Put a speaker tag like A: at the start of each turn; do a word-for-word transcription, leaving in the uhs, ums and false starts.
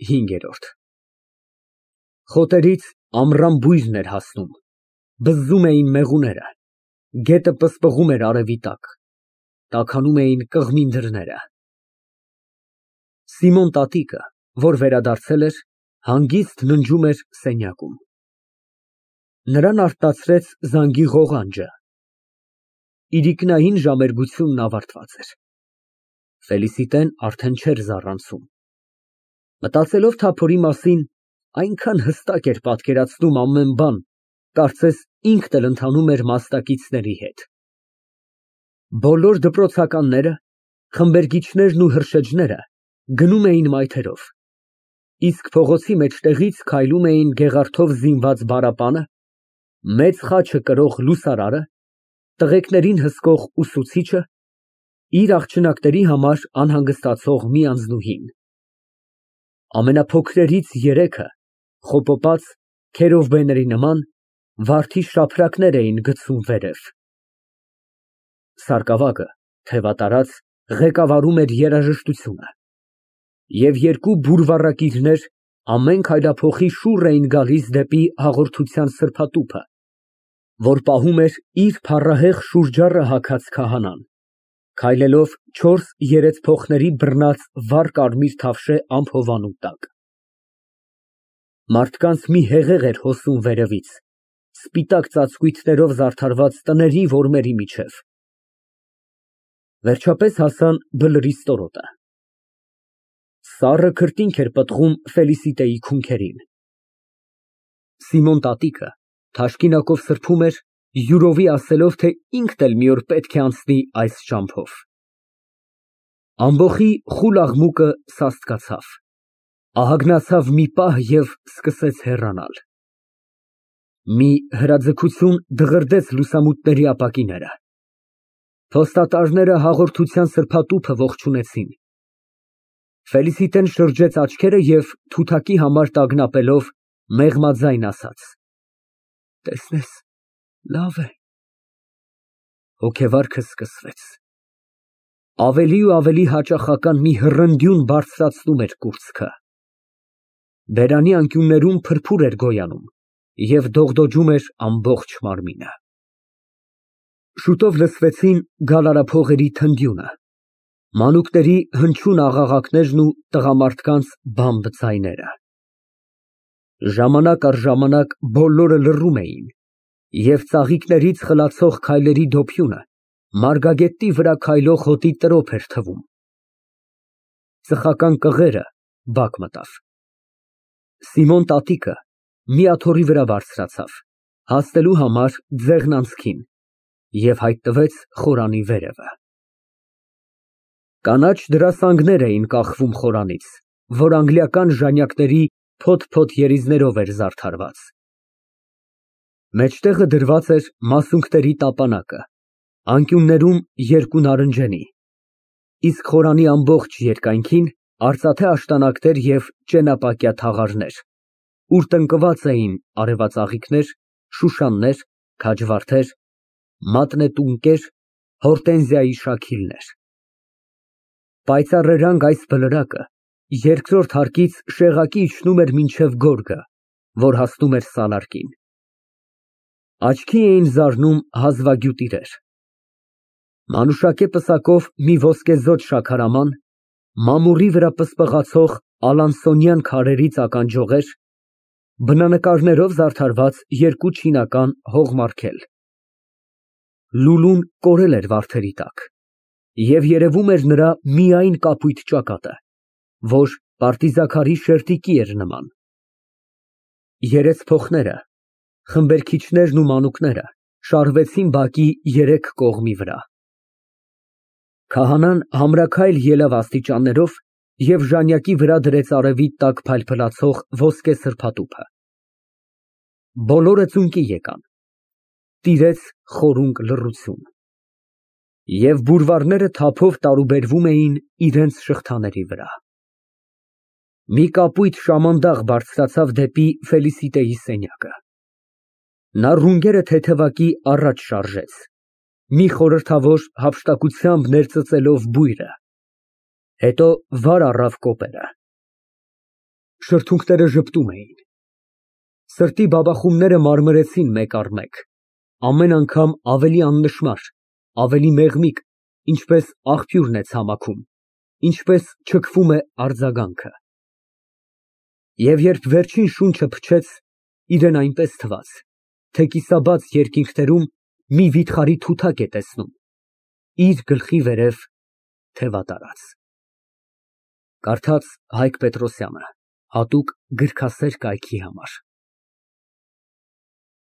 A: ՀԻՆԳԵՐՈՐԴ Խոտերից ամռան բույրն էր հասնում, բզզում էին մեղուները, գետը պսպղում էր արևի տակ, տաքանում էին կղմին դռները։ Սիմոն տատիկը, որ վերադարձել էր, հանգիստ ննջում էր սենյակում։ Նրան արթնացրեց զանգի ղողանջը։ Իրիկնային ժամերգությունն ավարտված էր։ Ֆելիսիտեն արդեն չէր զառանցում։ Մտածելով թափորի մասին, այնքան հստակ էր պատկերացնում ամեն բան, կարծես ինքն էլ ընթանում էր մասնակիցների հետ։ Բոլոր դպրոցականները, խմբերգիչներն ու հրշեջները գնում էին մայթերով, իսկ փողոցի մեջտեղից քայլում էին գեղարդով զինված բարապանը, մեծ խաչը կրող լուսարարը, տղեկներին հսկող ուսուցիչը, իր աղջնակների համար անհանգստացող մի անձնուհին։ Ամենափոքրերից երեքը, խոպոպած, քերովբեների նման, վարդի շաբրակներ էին գցում վերև։ Սարկավագը, թևատարած, ղեկավարում էր երաժշտությունը, և երկու բուրվառակիրներ ամեն քայլափոխի շուռ էին գալիս դեպի հաղորդության սրբատուփը, որ պահում էր իր փառահեղ շուրջառը հագած քահանան, քայլելով չորս երեցփոխների բռնած վառ կարմիր թավշե ամփովանու տակ։ Մարդկանց մի հեղեղ էր հոսում վերևից, սպիտակ ծածկույթներով զարդարված տների որմերի միջև։ Վերջապես հասան բլրի ստորոտը։ Սառը քրտինք էր պտղում Ֆելիսիտեի քունքերին։ Սիմոն տատիկը թաշկինակով սրբում էր, յուրովի ասելով, թե ինքն էլ մի օր պետք է անցնի այս ճամփով։ Ամբոխի խուլ աղմուկը սաստկացավ, ահագնացավ մի պահ և սկսեց հեռանալ։ Մի հրաձգություն դղրդեց լուսամուտների ապակիները։ Փոստատարները հաղորդության սրբատուփը ողջունեցին։ Ֆելիսիտեն շրջեց աչքերը և թութակի համար տագնապելով, մեղմաձայն ասաց. «Տեսնես, լավ է»։ Հոգեվարքը սկսվեց։ Ավելի ու ավելի հաճախական մի հռնդյուն բարձրացնում էր կուրծքը։ Բերանի անկյուններում փրփուր էր գոյանում և դողդոջում էր ամբողջ մարմինը։ Շուտով լսվեցին գալարափողերի թնդյունը, մանուկների հնչյուն աղաղակներն ու տղամարդկանց բամբ ձայները։ Ժամանակ առ ժամանակ բոլորը լռում էին, և ծաղիկներից խլացող քայլերի դոփյունը մարգագետի վրա քայլող հոտի տրոփ էր թվում։ Ծխական կղերը բակ մտավ։ Սիմոն տատիկը մի աթոռի վրա բարձրացավ, հասնելու համար ձեղն անցքին, և հայտնվեց խորանի վերևը։ Կանաչ դրասանգներ էին կախվում խորանից, որ անգլիական ժանյակների փոթ֊փոթ երիզներով էր զարդարված։ Մեջտեղը դրված էր մասունքների տապանակը, անկյուններում երկու նարնջենի, իսկ խորանի ամբողջ երկայնքին արծաթե աշտանակներ և ճենապակյա թաղարներ, ուր տնկված էին արևածաղիկներ, շուշաններ, քաջվարդեր, մատնետունկեր, հորտենզիայի շաքիլներ։ Պայծառերանգ այս բլրակը երկրորդ հարկից շեղակի իջնում էր մինչև գորգը, որ հասնում էր սալարկին։ Աչքի էին զարնում հազվագյուտ իրեր։ Մանուշակե պսակով մի ոսկեզօծ շաքարաման, մամուռի վրա պսպղացող ալանսոնյան քարերից ականջողեր, բնանկարներով զարդարված երկու չինական հողմարգել։ Լուլուն կորել էր վարդերի տակ, և երևում էր նրա միայն կապույտ ճակատը, որ պարտիզաքարի շերտիկի էր նման։ Երեցփոխները, խմբերգիչներն ու մանուկները շարվեցին բակի երեք կողմի վրա։ Քահանան համրաքայլ ելավ աստիճաններով և ժանյակի վրա դրեց արևի տակ փայլփլացող ոսկե սրբատուփը։ Բոլորը ծունկի եկան։ Տիրեց խորունկ լռություն, և բուրվառները թափով տարուբերվում էին իրենց շղթաների վրա։ Մի կապույտ շամանդաղ բարձրացավ դեպի Ֆելիսիտեի սենյակը։ Նա ռունգերը թեթևակի առաջ շարժեց, մի խորհրդավոր հափշտակությամբ ներծծելով բույրը, հետո վար առավ կոպերը։ Շրթունքները ժպտում էին։ Սրտի բաբախումները մարմրեցին մեկ առ մեկ, ամեն անգամ ավելի աննշմար, ավելի մեղմիկ, ինչպես աղբյուրն է ցամաքում, ինչպես չքվում է արձագանքը։ Եվ երբ վերջին շունչը փչեց, իրան այնպես թվաց, թե կիսաբաց երկինքներում մի վիթխարի թութակ է տեսնում, իր գլխի վերև թևատարած։ Կարդաց Հայկ Պետրոսյանը, հատուկ գրքասեր կայքի համար։